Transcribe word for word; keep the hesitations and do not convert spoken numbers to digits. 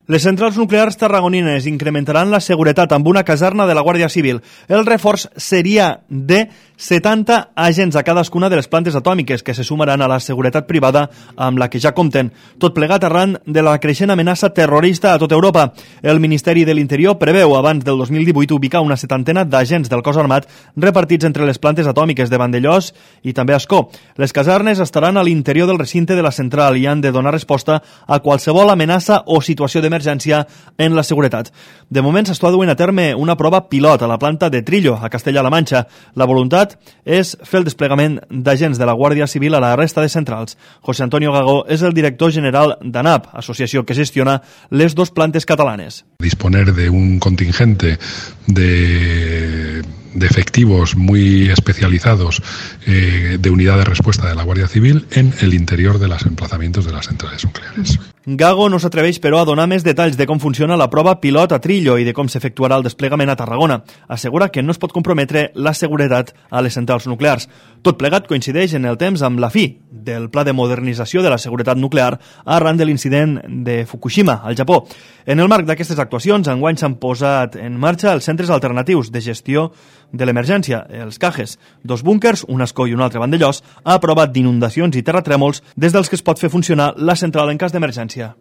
Les centrals nuclears tarragonines incrementaran la seguretat amb una caserna de la Guàrdia Civil. El reforç seria de setanta agents a cadascuna de les plantes atòmiques que se sumaran a la seguretat privada amb la que ja compten. Tot plegat arran de la creixent amenaça terrorista a tota Europa. El Ministeri de l'Interior preveu abans del dos mil divuit ubicar una setantena d'agents del cos armat repartits entre les plantes atòmiques de Vandellòs i també Ascó. Les casernes estaran a l'interior del recinte de la central i han de donar resposta a qualsevol amenaça o situació d'emergència en la seguretat. De moment s'està duent a terme una prova pilot a la planta de Trillo, a Castella-La Manxa. La voluntat és fer el desplegament d'agents de la Guàrdia Civil a la resta de centrals. José Antonio Gago és el director general d'ANAP, associació que gestiona les dos plantes catalanes. Disponer de un contingente de... de efectivos muy especializados eh, de unidad de respuesta de la Guardia Civil en el interior de los emplazamientos de las centrales nucleares. Gago no s'atreveix, però, a donar més detalls de com funciona la prova pilot a Trillo i de com s'efectuarà el desplegament a Tarragona. Assegura que no es pot comprometre la seguretat a les centrals nuclears. Tot plegat coincideix en el temps amb la fi del pla de modernització de la seguretat nuclear arran de l'incident de Fukushima, al Japó. En el marc d'aquestes actuacions, enguany s'han posat en marxa els centres alternatius de gestió de l'emergència, els CAGES, dos búnkers, un Ascó i un altre Vandellòs, a prova d'inundacions i terratrèmols des dels que es pot fer funcionar la central en cas d'emergència.